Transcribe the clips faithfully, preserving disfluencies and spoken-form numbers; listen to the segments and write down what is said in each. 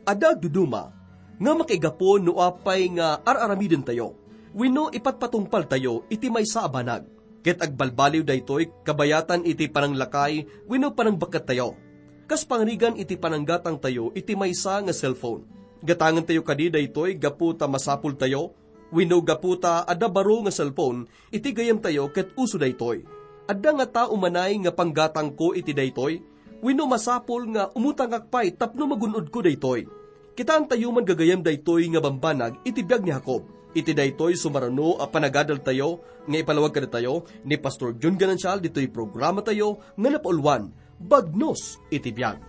Adda agduduma nga makaigapu no apay nga ar-aramidentayo wenno ipatpatungpaltayo iti maysa a banag. Ket agbalbaliw daytoy kabayatan iti pananglakay wenno panangbakkettayo. Kas pangrigan iti pananggatangtayo iti maysa nga cellphone. Gatangentayo kadi daytoy gapu ta masapultayo wenno gapu ta adda baro nga cellphone iti gayyemtayo ket uso daytoy? Adda ngata umanay nga panggatangko iti daytoy? Wenno masapul nga umutangak pay tapno magun-odko daytoy? Kitaentayo man gagayyem daytoy nga bambanag iti biag ni Jacob. Iti daytoy sumarano a panagadaltayo nga ipalawag kadatayo ni Pastor Jun Ganancial ditoy programatayo nga napauluan, Bagnos iti Biag.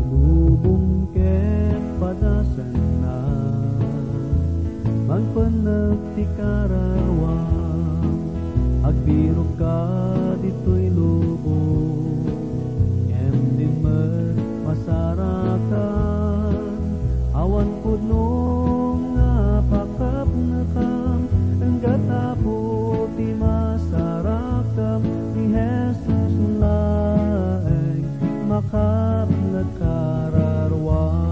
Lubong ket padasanna, mangpennek ti karawam, agbirokka ditoy lubong, ngem dimmet masarakan, awan pudno nga pakapnekam, enggat Apo ti masarakam, ni Jesus laeng makapnek kararuam.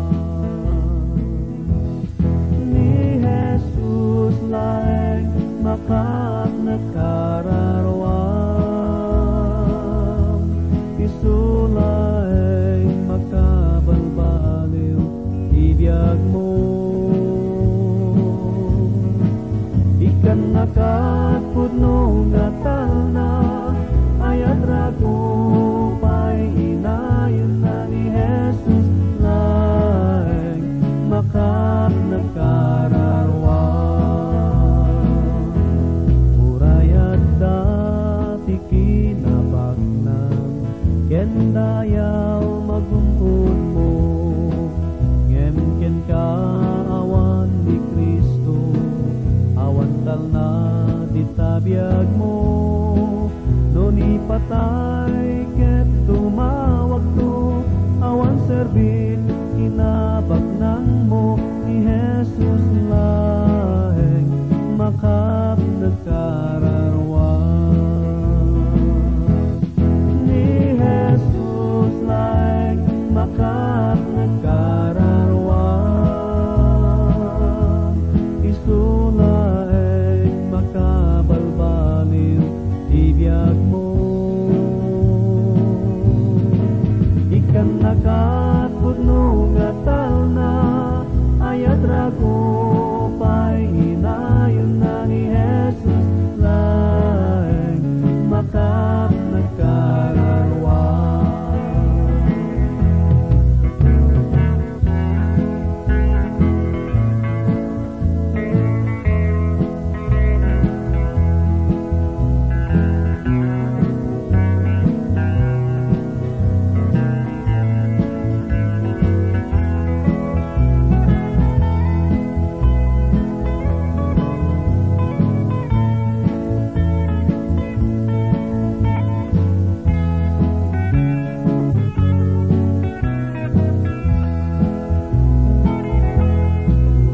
Ni Jesus laeng makapnek kararuam. Isu laeng makabalbaliw ti biagmo. Ikkannakat pudno nga talna, ayat rago pay inayon na ni Jesus laeng makapnek kararuam. Uray adda ti kinabaknang ken dayaw magun-odmo, ngem kenka awan ni Cristo, awan talna ti tabiagmo. No ni patay ket tumawagto, awan serbi ti kinabaknangmo, ni Jesus laeng makapnek kararuam. Ni Jesus laeng makapnek kararuam. Isu laeng makabalbaliw ti biagmo. Ikkannakat pudno nga talna, ayat rago pay inayon na ni Jesus laeng makapnek kararuam.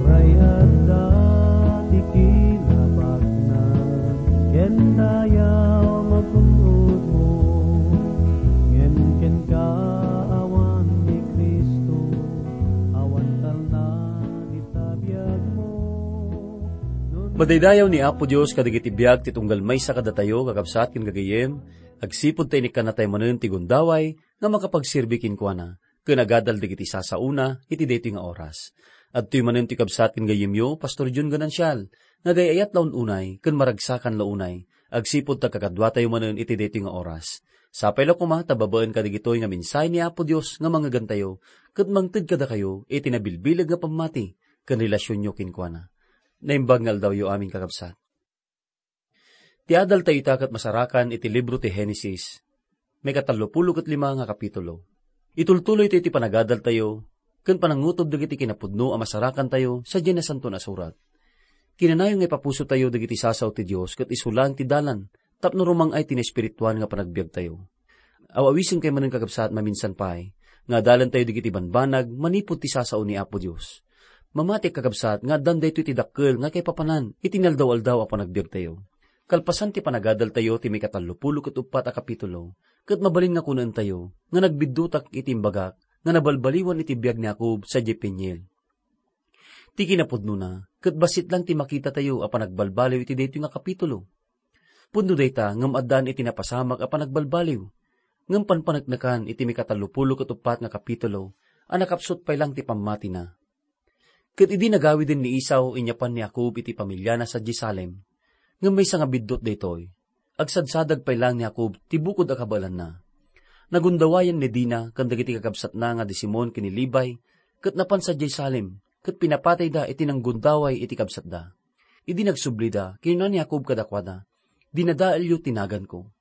Uray adda ti kinabaknang ken dayaw magun-odmo, ngem kenka awan ni Cristo, awan talna ti tabiagmo. Madaydayaw ni Apo Dios kadagiti biag ti tunggal maysa kadatayo, kakabsat ken gagayyem, agsipud ta inikkannatayo manen ti gundaway nga makapagserbi kenkuana ken agadal dagiti sasaona iti daytoy nga oras. Adtoy manen ti kabsat ken gayyemyo, Pastor Jun Ganancial, nga agay-ayat la un-unay ken maragsakan la unay, agsipud ta kakaduatayo manen iti daytoy nga oras. Sapay la koma ta babaen kadagitoy nga mensahe ni Apo Dios nga mangngegantayo ket mangted kadakayo iti nabilbileg nga pammati ken relasionyo kenkuana. Naimbag nga aldawyo amin, kakabsat. Ti adaltayo ita ket masarakan iti libro ti Genesis, maikatallopulo ket lima nga kapitulo. Itultuloytayo ti panagadaltayo ken panangutob dagiti kinapudno a masarakantayo sadiay Nasantoan a Surat. Kinanayon nga ipapusotayo dagiti sasao ti Dios ket isu laeng ti dalan tapno rumang-ay ti naespirituan nga panagbiagtayo. Aw-awisen kay manen, kakabsat, maminsan pay nga adalentayo dagiti banbanag manipud ti sasao ni Apo Dios. Mamatiek, kakabsat, nga addan daytoy ti dakkel nga kaipapanan iti inaldaw-aldaw a panagbiagtayo. Kalpasan ti panagadaltayo ti maikatallopulo ket uppat a kapitulo, ket mabalin nga kunaentayo nga nagbiddutak iti imbagak nga nabalbaliwan iti biag ni Jacob sadiay Peniel. Ti kinapudnona, ket bassit lang ti makitatayo a panagbalbaliw iti daytoy nga kapitulo. Pudno dayta ngem addaan iti napasamak a panagbalbaliw, ngem panpaneknekan iti maikatallopulo ket uppat nga kapitulo a nakapsut pay lang ti pammatina. Ket idi nagawiden ni Esau, inyapan ni Jacob iti pamiliana sadiay Salem. Ngem maysa nga biddut daytoy, agsadsadag pay lang ni Jacob ti bukod a kabaelanna. Nagundawayan ni Dina ken dagiti kakabsatna nga di Simon ken ni Levi, ket napan sadiay Salem, ket pinapatayda iti nanggundaway iti kabsatda. Idi nagsublida, kinuna ni Jacob kadakuada, "Dinadaelyo ti naganko."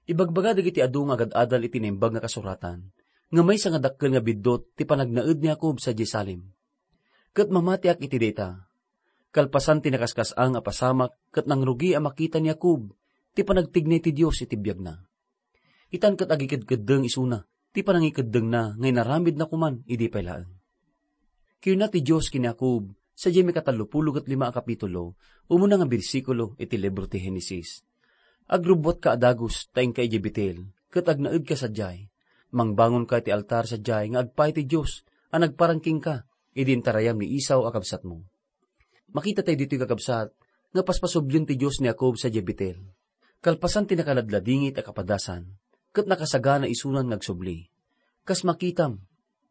Ibagbaga dagiti adu nga agad-adal iti Naimbag nga Kasuratan, nga maysa nga dakkel nga biddut ti panagnaed ni Jacob sadiay Salem. Ket mamatiak iti dayta. Kalpasan ti nakaskas-ang a pasamak ket nangrugi a makita ni Jacob ti panagtignay ti Dios iti biagna. Itan ket agikedkeddeng isuna ti panangikeddengna nga inaramidna koman idi pay laeng. Kinuna ti Dios ken ni Jacob, sadiay maikatallopulo ket lima a kapitulo, umuna nga bersikulo iti libro ti Genesis, "Agrubbuatka a dagus ta inka idiay Betel, ket agnaedka sadiay. Mangbangonka iti altar sadiay nga agpaay ti Dios a nagparang kenka idi intarayam ni Esau a kabsatmo." Makitatayo ditoy, kakabsat, nga paspasublien ti Dios ni Jacob sadiay Betel. Kalpasan ti nakaladladingit a kapadasan, ket nakasagana isunan nga agsubli. Kas makitam,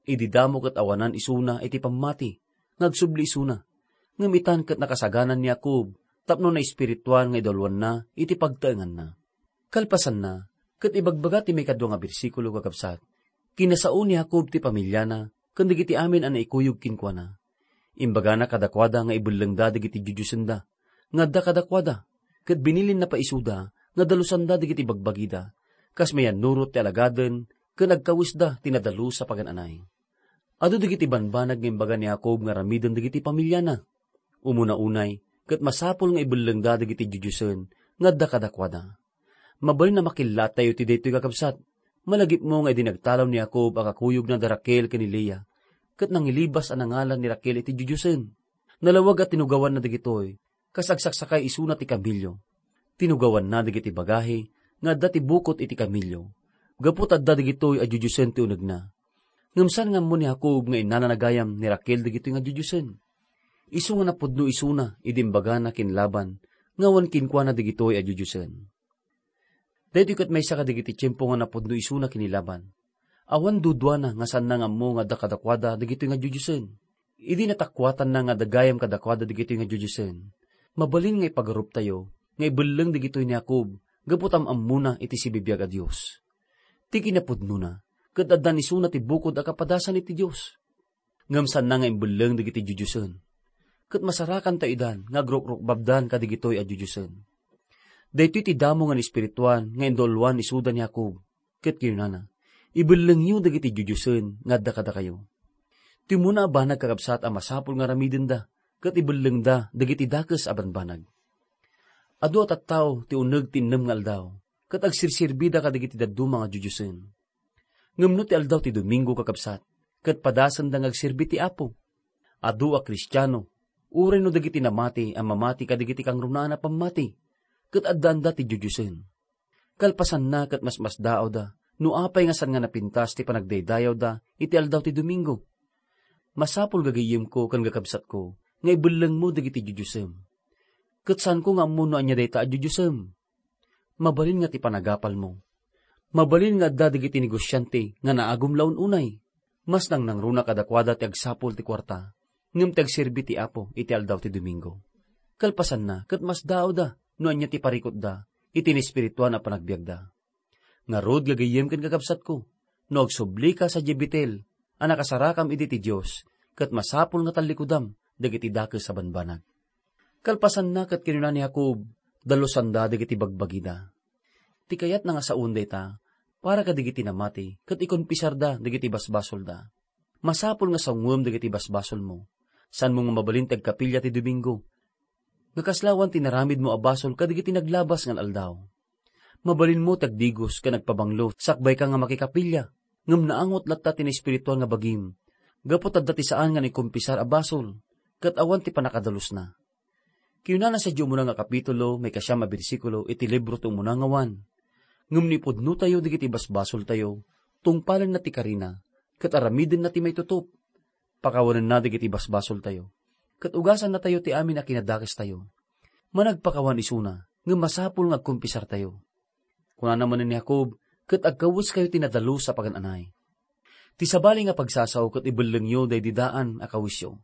idi damo ket awanan isuna iti pammati, nga agsubli isuna. Ngem itan ket nakasaganan ni Jacob tapno naespirituan nga idalwanna iti pagtaenganna. Kalpasanna, ket ibagbaga ti maikadua nga bersikulo, kakabsat, kinasao ni Jacob ti pamiliana ken dagiti amin a naikuyog kenkuana. Imbagana kadakuada nga ibellengda dagiti diodiosenda nga adda kadakuada, ket binilinna pay isuda nga dalusanda dagiti bagbagida, kas mayannurot ti alagaden ken agkawisda ti nadalus a pagan-anay. Adu dagiti banbanag nga imbaga ni Jacob nga aramiden dagiti pamiliana. Umuna unay, ket masapul nga ibellengda dagiti diodiosen nga adda kadakuada. Mabalin a makillattayo ti daytoy, kakabsat. Malagipmo nga idi nagtalaw ni Jacob a kakuyogna da Raquel ken ni Lea, ket nangilibas a nangalan ni Raquel iti diodiosen. Nalawag a tinugawanna dagitoy, kas agsaksakay isuna ti kamilio. Tinugawanna dagiti bagahi nga adda ti bukot iti kamilio, gapu ta adda dagitoy a diodiosen ti unegna. Ngem saan nga ammo ni Jacob nga innalana gayam ni Raquel dagitoy nga diodiosen. Isu nga napudno isuna idi imbagana ken Laban nga awan kenkuana dagitoy a diodiosen. Daytoy ket maysa kadagiti tiempo nga napudno isuna ken ni Laban. Awan duduana nga saanna nga ammo nga adda kadakuada dagitoy nga diodiosen. Idi natakuatanna nga adda gayam kadakuada dagitoy nga diodiosen, mabalin nga ipagaruptayo nga ibelleng dagitoy ni Jacob gapu ta am-ammona iti sibibiag a Dios. Ti kinapudnona, ket addan isuna ti bukod a kapadasan iti Dios. Ngem saanna nga imbelleng dagiti diodiosen. Ket masarakantayo idan nga agrukrugbabdan kadagitoy a diodiosen. Daytoy ti damo nga naespirituan nga indulwan isuda ni Jacob, ket kinunana, "Ibellengyo dagiti diodiosen nga adda kadakayo." Ti umuna a banag, kakabsat, a masapul nga aramidenda ket ibellengda dagiti dakes a banbanag. Adu a tattao ti uneg ti innem nga aldaw, ket agsirsirbida kadagiti dadduma nga diodiosen. Ngem no ti aldaw ti Domingo, kakabsat, ket padasenda nga agserbi ti Apo. Adu a Kristiano, uray no dagiti namati a mamati kadagiti kangrunaan a pammati, ket addaanda ti diodiosen. Kalpasanna, ket masmasdaawda no apay nga saan nga napintas ti panagdaydayawda iti aldaw ti Domingo. Masapul, gagayyemko ken kakabsatko, nga ibellengmo dagiti diodiosem. Ket saanko nga ammo no ania dayta a diodiosem. Mabalin nga ti panagapalmo. Mabalin nga adda dagiti negosiante nga naagum la un-unay. Mas nangnangruna kadakuada ti agsapul ti kuarta, ngem ti agserbi ti Apo iti aldaw ti Domingo. Kalpasanna, ket masdaawda no ania ti parikutda iti naespirituan a panagbiagda. Ngarud, gagayyem ken kakabsatko, no agsublika sadiay Betel a nakasarakam idi ti Dios, ket masapul nga tallikudam dagiti dakes a banbanag. Kalpasanna, ket kinuna ni Jacob, "Dalusanda dagiti bagbagida." Ti kayatna nga saoen dayta, para kadagiti namati, ket ikonpisarda dagiti basbasolda. Masapul nga sawngoem dagiti basbasolmo. Saanmo nga mabalin ti agkapilya ti Domingo nga kasla awan ti naramidmo a basol kadagiti naglabas nga al-aldaw. Mabalinmo ti agdigos ken agpabanglo sakbay ka nga makikapilya, ngem naangot latta ti naespirituan nga bagim, gapu ta adda ti saan nga naikompisar a basol, ket awan ti pannakadalusna. Kinunana sadiay umuna nga kapitulo, maikasiam a bersikulo iti libro ti umuna nga Juan, "Ngem no ipudnotayo dagiti basbasoltayo, tungpalenna ti karina, ket aramidenna ti maitutup. Pakawanenna dagiti basbasoltayo, ket ugasannatayo ti amin a kinadakestayo. Managpakawan isuna, ngem masapul nga agkumpisartayo." Kunana manen ni Jacob, "Ket agkaweskayo ti nadalus a pagan-anay. Ti sabali nga pagsasao ket ibellengyo daydi daan a kawesyo."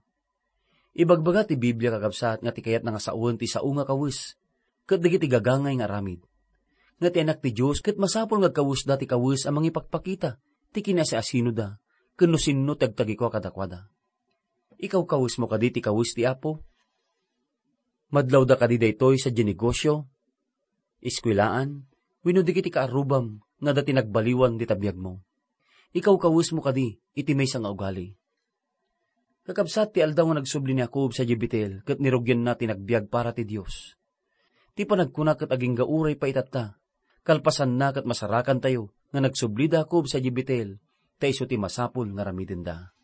Ibagbaga ti Biblia, kakabsat, nga ti kayatna nga sawen ti sao nga kawes, ket dagiti gagangay nga aramid. Nga ti Anak ti Dios ket masapul nga agkawesda ti kawes a mangipakpakita ti kinasiasinoda, ken no sinno ti agtagikua kadakuada. Ikawkawesmo kadi ti kawes ti Apo? Madlawda kadi daytoy sadiay negosio, eskuelaan, wenno dagiti kaarrubam nga adda ti nagbaliwan dita biagmo? Ikawkawesmo kadi iti maysa nga ugali? Kakabsat, ti aldaw nga nagsubli ni Jacob sadiay Betel ket nirugianna ti nagbiag para ti Dios. Ti panagkuna ket agingga uray pay itatta. Kalpasanna ket masarakantayo nga nagsubli da Jacob sadiay Betel, ta isu ti masapul nga aramidenda.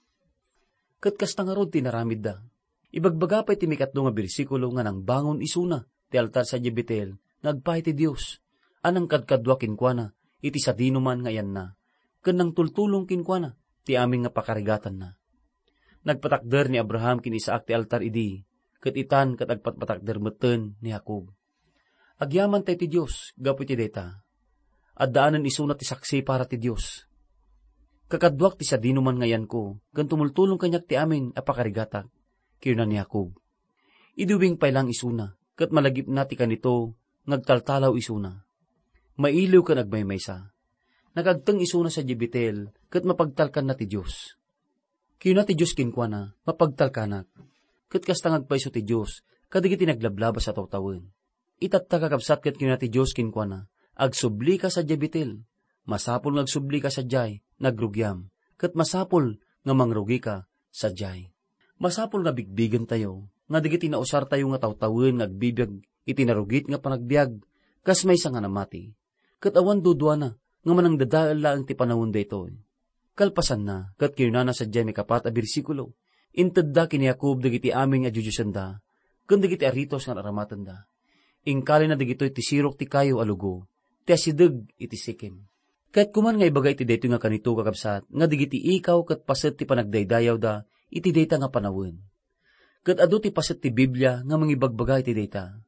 Ket kasta ngarud ti inaramidda. Ibagbaga pay ti maikatlo nga bersikulo nga nangbangon isuna ti altar sadiay Betel nga agpaay ti Dios, a nangkadkadua kenkuana iti sadinoman nga ayanna, ken nangtultulong kenkuana ti amin nga pakarigatanna. Nagpatakder ni Abraham ken Isaac ti altar idi, ket itan ket agpatpatakder metten ni Jacob. Agyamantay ti Dios gapu iti dayta. Addaanen isuna ti saksi para ti Dios. Kakaduak ti sadinoman nga ayanko, ken tumultulong kaniak ti amin a pakarigatak, kinuna ni Jacob. Idi ubing pay laeng isuna, ket malagipna ti kanito nga agtaltalaw isuna. Mailiw ken agmaymaysa. Nakaagteng isuna sadiay Betel, ket mapagtalkanna ti Dios. Kinuna ti Dios kenkuana, "Mapagtalkanak." Ket kasta nga agpayso ti Dios kadagiti naglablabas a tawtawen. Itatta, kakabsat, ket kinuna ti Dios kenkuana, "Agsublika sadiay Betel. Masapul nga agsublika sadiay, nagrugiam, ket masapul nga mangrugika sadiay." Masapul nga bigbigentayo nga dagiti nausartayo nga tawtawen nga agbibiag iti narugit nga panagbiag kas maysa nga namati. Ket awan duduana nga manangdadael laeng ti panawen daytoy. Kalpasanna, ket kinunana sadiay maikapat a bersikulo, "Intedda ken ni Jacob dagiti amin a dioddiosenna, ken dagiti aritos nga ar-aramatenda. Inkalina dagitoy ti sirok ti kayo a lugo, ti asideg iti Sikem." Kayatko man nga ibaga iti daytoy nga kanito, kakabsat, nga dagiti ikaw ket paset ti panagdaydayawda iti dayta nga panawen. Ket adu ti paset ti Biblia nga mangibagbaga iti dayta.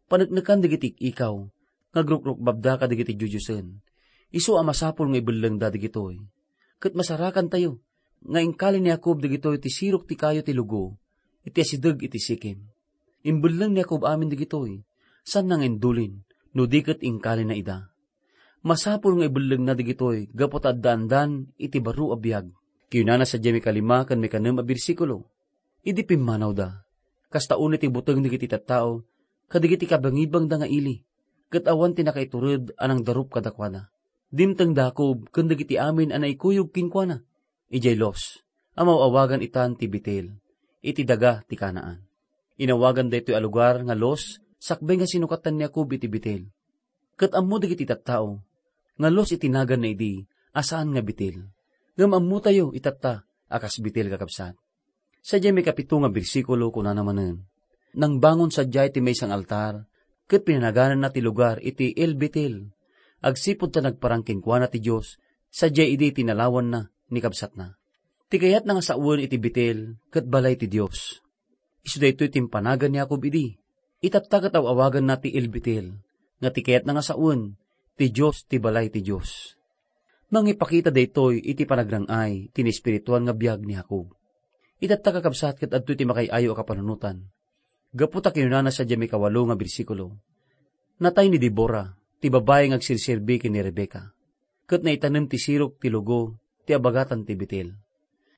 Paneknekan dagiti ikaw nga agrukrukbabda kadagiti dioddiosen. Isu a masapul nga ibellengda dagitoy. Ket masarakantayo nga inkali ni Jacob dagitoy ti sirok ti kayo ti lugo iti asideg iti Sikem. Imbelleng ni Jacob amin dagitoy, saanna nga indulin, no di ket inkalina ida. Masapul nga ibellengna dagitoy gapu ta addaandan iti baro a biag. Kinunana sadiay mikalima ken mikanem a bersikulo, "Idi pimmanawda, kasta unay ti buteng dagiti tattao kadagiti kabangibangda nga ili, ket awan ti nakaitured a nangdarup kadakuada. Dimteng da Jacob ken dagiti amin a naikuyog kenkuana idiay Luz, a maaw-awagan itan ti Betel, iti daga ti Canaan." Inawagan daytoy a lugar nga Luz sakbay nga sinukatan ni Jacob iti Betel. Ket ammo dagiti tattao nga Luz iti naganna idi a saan nga Betel. Ngem ammotayo itatta a kas Betel, kakabsat. Sadiay maikapito nga bersikulo, kunana manen, "Nangbangon sadiay ti maysa nga altar, ket pinanagananna ti lugar iti El Betel, agsipud ta nagparang kenkuana ti Dios sadiay idi tinalawanna ni kabsatna." Ti kayatna nga sawen iti Betel ket balay ti Dios. Isu daytoy ti impanagan ni Jacob idi. Itatta ket aw-awaganna ti El Betel, nga ti kayatna nga sawen, ti Dios ti balay ti Dios. Mangipakita daytoy iti panagrang-ay ti naespirituan nga biag ni Jacob. Itatta, kakabsat, ket adtoy ti makaay-ayo a kapanunotan. Gapu ta kinunana sadiay maikawalo nga bersikulo, "Natay ni Debora, ti babai nga agserserbi ken ni Rebecca, ket naitanem ti sirok ti lugo ti abagatan ti Betel.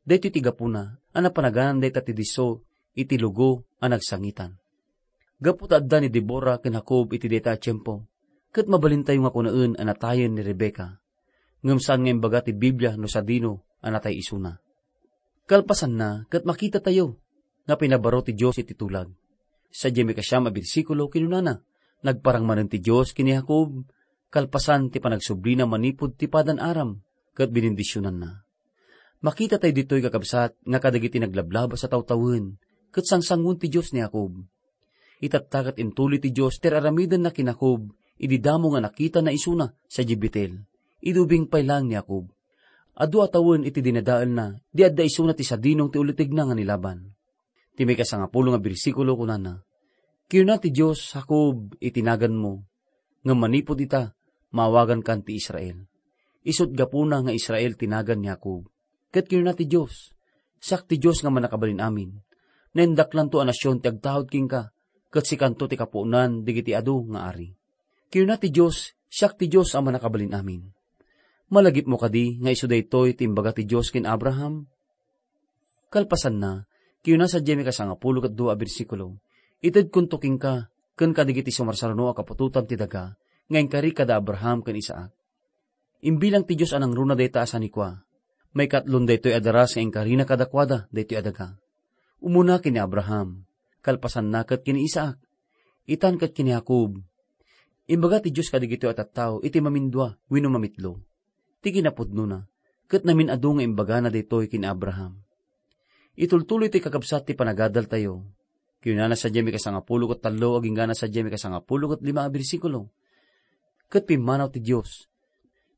Daytoy ti gapuna a napanagan dayta ti disso iti lugo a nagsangitan." Gapu ta adda ni Debora ken Jacob iti dayta a tiempo, ket mabalintayo nga kunaen a natayen ni Rebecca. Ngem saan nga imbaga ti Biblia no sadino a natay isuna. Kalpasanna, ket makitatayo nga pinabaro ti Dios iti tulag. Sadiay maikasiam a bersikulo, kinunana, "Nagparang manen ti Dios ken ni Jacob, kalpasan ti panagsublina manipud ti Padan-Aram, ket binindisionanna." Makitatayo ditoy, kakabsat, nga kadagiti naglablabas a tawtawen, ket sangsangoen ti Dios ni Jacob. Itatta ket intuloy ti Dios ti ar-aramidenna ken Jacob idi damo nga nakitana isuna sadiay Betel, idi ubing pay laeng ni Jacob. Adu a tawen iti dinadaelna, di adda isuna ti sadinong ti ulitegna nga ni Laban. Ti maikasangapulo nga bersikulo kunana, "Kinuna ti Dios, 'Jacob' iti naganmo, ngem manipud ita, maawagankan ti Israel.' Isut' gapuna nga Israel ti nagan ni Jacob. Ket kinuna ti Dios, 'Siak ti Dios nga Mannakabalin-amin. Naindaklanto a nasion ti agtaud kenka, ket sikanto ti kapuonan dagiti adu nga ari.' Kinuna ti Dios, 'Siak ti Dios a Mannakabalin-amin.' Malagipmo kadi nga isu daytoy ti imbaga ti Dios ken Abraham?" Kalpasanna, kinuna sadiay maikasangapulo ket dua a bersikulo, "Itedkonto kenka ken kadagiti sumarsaruno a kaputotam ti daga nga inkari kada Abraham ken Isaac." Imbilang ti Dios a nangruna dayta a sanikua. Maikatlon daytoy a daras nga inkarina kadakuada daytoy a daga. Umuna ken ni Abraham, kalpasanna ket ken ni Isaac, itan ket ken ni Jacob. Imbaga ti Dios kadagitoy a tattao iti mamindua wenno mamitlo ti kinapudnona, ket namin-adu nga imbagana daytoy ken ni Abraham. Itultuloy ti kakabsat ti panagadaltayo. Kinunana sadiay maikasangapulo ket tallo agingga na sadiay maikasangapulo ket lima a bersikulo, "Ket pimmanaw ti Dios.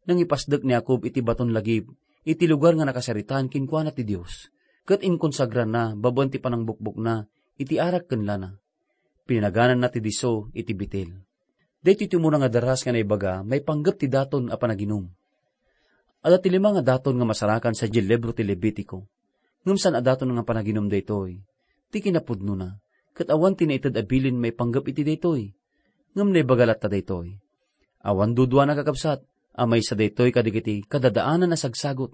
Nangipasdek ni Jacob iti baton lagip, iti lugar nga nakasaritaan kenkuana ti Dios, ket inkonsagrana babaen ti panangbukbokna iti arak ken lana." Pinagananna ti disso iti Betel. Daytoy ti umuna nga daras nga naibaga maipanggep ti daton a panaginum. Adda ti lima nga daton nga masarakan sadiay libro ti Levitico. Ngem saan a daton nga panaginum daytoy ti kinapudnona, ket awan ti naited a bilin maipanggep iti daytoy. Ngem naibaga latta daytoy. Awan duduana, kakabsat, a maysa daytoy kadagiti kadadaanan a sagsagot,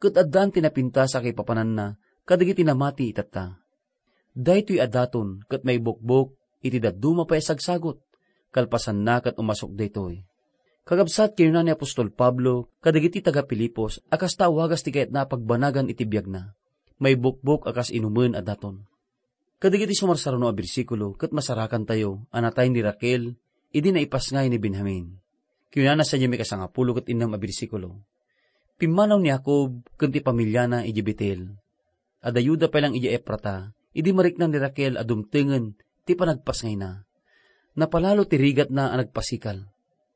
ket addaan ti napintas a kaipapananna kadagiti namati itatta. Daytoy a daton ket maibukbok iti dadduma pay a sagsagot, kalpasanna ket umasok daytoy. Kakabsat, kinuna ni apostol Pablo kadagiti taga-Filipos a kasta a wagas ti kayatna a pagbanagan iti biagna, maibukbok a kas inumen a daton. Kadagiti sumarsaruno a bersikulo ket masarakantayo a natay ni Raquel idi naipasngay ni Benjamin. Kinunana sadiay maikasangapulo ket innem a bersikulo, "Pimmanaw ni Jacob ken ti pamiliana idiay Betel. Adda Juda pay lang idiay Efrata, idi marikna ni Raquel a dumtengen ti panagpasngayna. Napalalo ti rigatna a nagpasikal.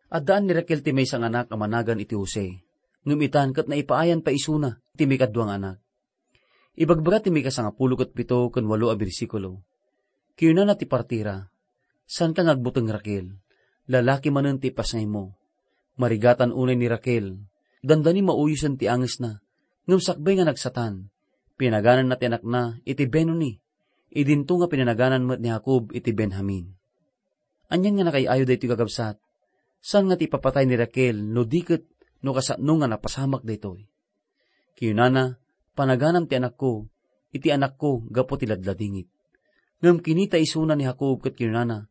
Addaan ni Raquel ti maysa nga anak a managan iti Jose, ngem itan ket naipaayan pay isuna ti maikadua nga anak." Ibagbaga ti maikasangapulo ket pito ken walo a bersikulo, kinunana ti partira, "Saanka nga agbuteng, Raquel. Lalaki manen ti ipasngaymo. Marigatan unay ni Raquel. Dandani mauyosen ti angesna. Ngem sakbay nga nagsatan, pinagananna ti anakna iti Benoni. Idinto nga pinanagan met ni Jacob iti Benjamin." Anian nga nakay-ayo daytoy, kakabsat? Saan nga ti ipapatay ni Raquel no di ket no kasano nga napasamak daytoy? Kinunana, "Panaganam ti anakko iti anakko gapu ti ladladingit." Ngem kinita isuna ni Jacob ket kinunana,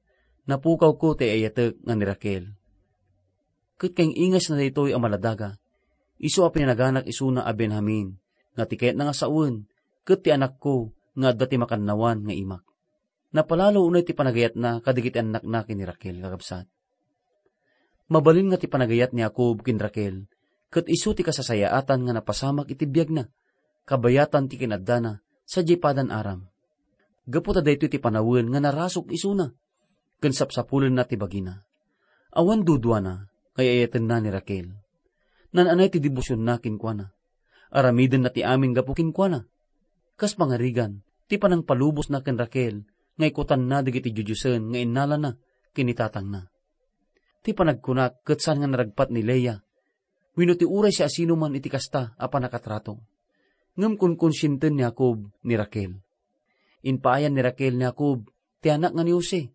"Napukawko ti ay-ayatek nga ni Raquel." Ket kaingingasna daytoy a maladaga, isu a pinanaganak isuna a Benjamin, nga ti kayatna nga sawen, ket ti anakko nga adda ti makannawan nga imak. Napalalo unay ti panagayatna kadagiti annakna ken ni Raquel, kakabsat. Mabalin nga ti panagayat ni Jacob ken Raquel ket isu ti kasasayaatan nga napasamak iti biagna, kabayatan ti kinaddana sadiay Padan-Aram. Gapu ta daytoy ti panawen nga narasuk isuna ken sapsapulenna ti bagina. Awan duduana nga ay-ayatenna ni Raquel. Naan-anay ti debosionna kenkuana. Aramidenna ti amin gapu kenkuana. Kas pangarigan, ti panangpalubosna ken Raquel nga ikutanna dagiti dioddiosen nga innalana ken ni tatangna. Ti panagkunak ket saan nga naragpat ni Lea wenno ti uray siasinoman iti kasta a pannakatrato. Ngem konkonsienten ni Jacob ni Raquel. Impaayan ni Raquel ni Jacob ti anak nga ni Jose,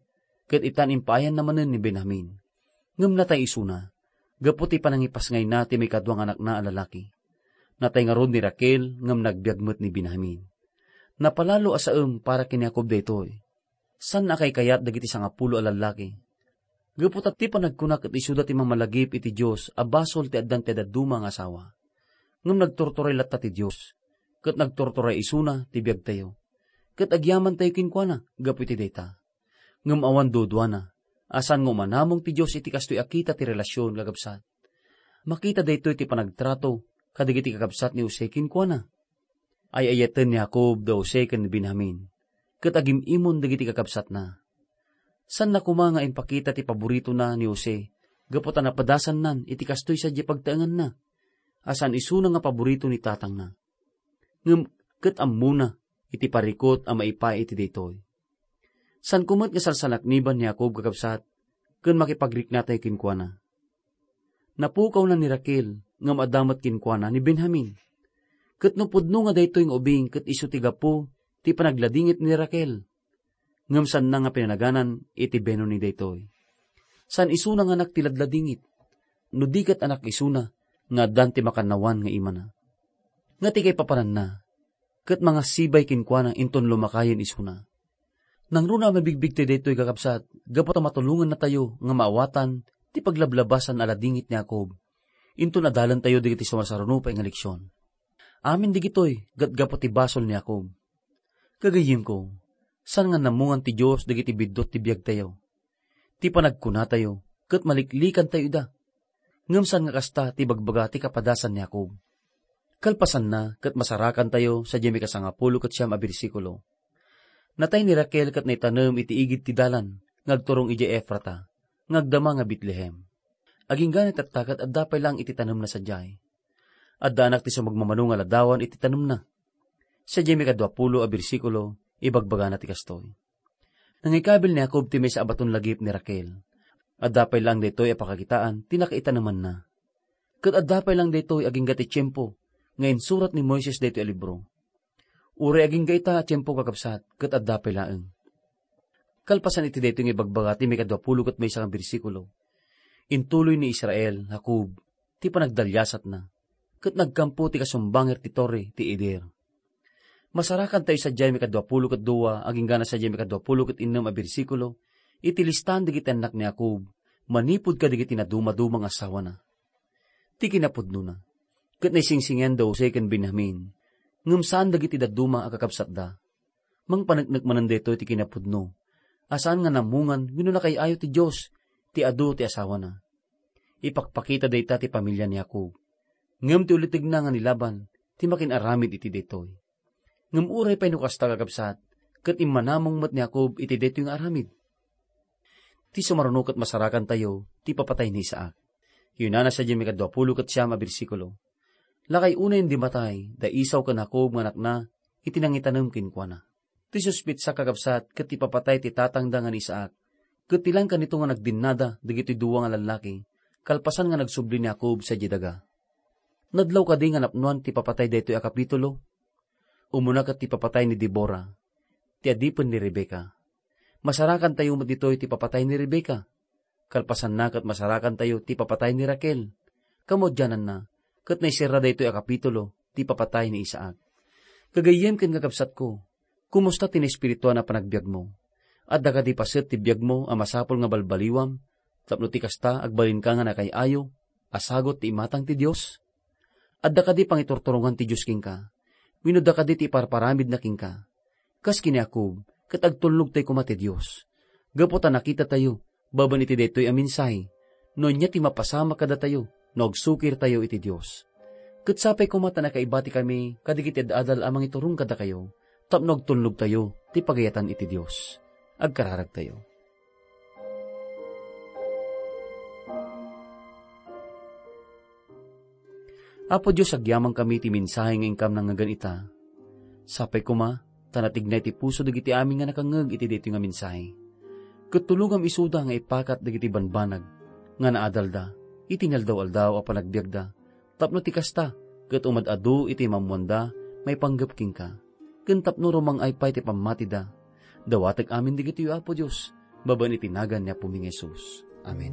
ket itan impaayanna manen ni Benjamin. Ngem natay isuna, gapu ti panangipasngayna ti maikadua nga anakna a lalaki. Natay ngarud ni Raquel ngem nagbiag met ni Benjamin. Napalalo a saem para ken ni Jacob daytoy. Saan a kaikayat dagiti sangapulo a lallaki. Gapu ta ti panagkuna ket isuda ti mamalagip iti Dios a basol ti addan ti dadduma nga asawa. Ngem nagturturay latta ti Dios, ket nagturturay isuna ti biagtayo. Ket agyamantayo kenkuana gapu iti dayta. Ngem awan duduana a saan nga umanamong ti Dios iti kastoy a kita ti relasion, kakabsat. Makita daytoy ti panagtrato kadagiti kakabsat ni Jose kenkuana. Ay-ayaten ni Jacob da Jose ken ni Benjamin, ket agim-imon dagiti kakabsatna. Saanna koma nga impakita ti paboritona ni Jose gapu ta napadasannan iti kastoy sadiay pagtaenganna, a saan isuna nga paborito ni tatangna. Ngem ket ammona iti parikut a maipaay iti daytoy. Saanko met nga salsalakniban ni Jacob, kakabsat, ken makipagriknatayo kenkuana. Napukawna ni Raquel, ngem adda met kenkuana ni Benjamin. Ket no pudno nga daytoy nga ubing ket isu ti gapu ti panagladingit ni Raquel, ngem saanna nga pinanaganan iti benoni daytoy. Saan isuna nga anak ti ladladingit, no di ket anak isuna nga addan ti makannawan nga imana. Nga ti kaipapananna, ket mangasibay kenkuana inton lumakayen isuna. Nangruna a mabigbigtayo daytoy, kakabsat, gapu ta matulongannatayo nga maawatan ti paglablabasan a ladingit ni Jacob. Inton adalentayo dagiti sumasaruno pay nga leksion. Amin dagitoy ket gapu ti basol ni Jacob. Gagayyemko, saan nga namungan ti Dios dagiti biddut ti biagtayo. Ti panagkunatayo ket maliklikantayo ida. Ngem saan nga kasta ti ibagbaga ti kapadasan ni Jacob. Kalpasanna, ket masarakantayo sadiay mikasangapulo ket siam a bersikulo. Natay ni Raquel ket naitanem iti igid ti dalan nga agturong idiay Efrata, nga agdama nga Betlehem. Agingga ni tatta ket adda pay laeng iti tanemna sadiay. Adda anak ti sumagmamano nga ladawan iti tanemna. Sadiay mikadua pulo a bersikulo, ibagbagana ti kastoy. Nangikabil ni Jacob ti maysa a baton lagip ni Raquel. Adda pay laeng daytoy a pakakitaan ti nakaitanemanna. Ket adda pay laeng daytoy agingga ti tiempo nga insurat ni Moises daytoy a libro. Uray agingga ita a tiempo, kakabsat, ket adda pay laeng. Kalpasan iti daytoy nga ibagbaga ti mikadua pulo ket maysa nga bersikulo, intuloy ni Israel, Jacob, ti panagdaliasatna, ket nagkampo ti kasumbanger ti torre ti Eder. Masarakantayo sadiay mikadua pulo ket dua, agingga na sadiay mikadua pulo ket innem a bersikulo, iti listaan dagiti annak ni Jacob, manipud kadagiti nadumaduma nga asawana. Ti kinapudnona, ket naisingsingen da Jose ken Benjamin, ngem saan dagiti dadduma a kakabsatda. Mangpaneknek manen daytoy ti kinapudno, a saan nga namungan wenno nakaay-ayo ti Dios ti adu ti asawana. Ipakpakita dayta ti pamilia ni Jacob. Ngem ti ulitegna nga ni Laban ti makin-aramid iti daytoy. Ngem uray pay no kasta, kakabsat, ket immanamong met ni Jacob iti daytoy nga aramid. Ti sumaruno ket masarakantayo ti ipapatay ni Isaac. Yunana sadiay mikadua pulo ket siam a bersikulo. Lakay unayen di matay da Esau ken Jacob nga anakna iti nangitanem kenkuana. Ti suspetsa, kakabsat, ket ti ipapatay ti tatangda nga ni Isaac, ket ti langka nito nga nagdinnada dagitoy dua nga lallaki, kalpasan nga nagsubli ni Jacob sadiay daga. Nadlaw kadi nga napnoan ti ipapatay daytoy a kapitulo? Umuna ket ti ipapatay ni Debora, ti adipen ni Rebecca. Masarakantayo met ditoy ti ipapatay ni Rebecca. Kalpasanna ket masarakantayo ti ipapatay ni Raquel. Kamaudiananna, ket naiserra daytoy a kapitulo ti ipapatay ni Isaac. Gagayyem ken kakabsatko, kumusta ti naespirituan a panagbiagmo? Adda kadi paset ti biagmo a masapul nga balbaliwam, tapno ti kasta agbalinka nga nakaay-ayo a sagut ti imatang ti Dios? Adda kadi pangiturturongan ti Dios kenka? Wenno adda kadi ti iparparamidna kenka? Kas ken ni Jacob, ket agtulnogtayo koma ti Dios. Gapu ta nakitatayo, babaen iti daytoy a mensahe, no ania ti mapasamak kadatayo no agsukirtayo iti Dios. Ket sapay koma ta nakaibatikami kadagiti ad-adal a mangiturong kadakayo, tapno agtulnogtayo ti pagayatan iti Dios. Agkararagtayo. Apo Dios, agyamankami iti mensahe nga inkam nangngegen ita. Sapay koma ta natignay ti puso dagiti amin nga nakangngeg iti daytoy nga mensahe. Ket tulongam isuda nga ipakat dagiti banbanag nga naadalda iti inaldaw-aldaw a panagbiagda, tapno ti kasta ket umad-adu iti maammoanda maipanggep kenka, ken tapno rumang-ay pay ti pammatida. Dawatek amin dagitoy, Apo Dios, babaen iti nagan ni Apomi nga Jesus. Amen.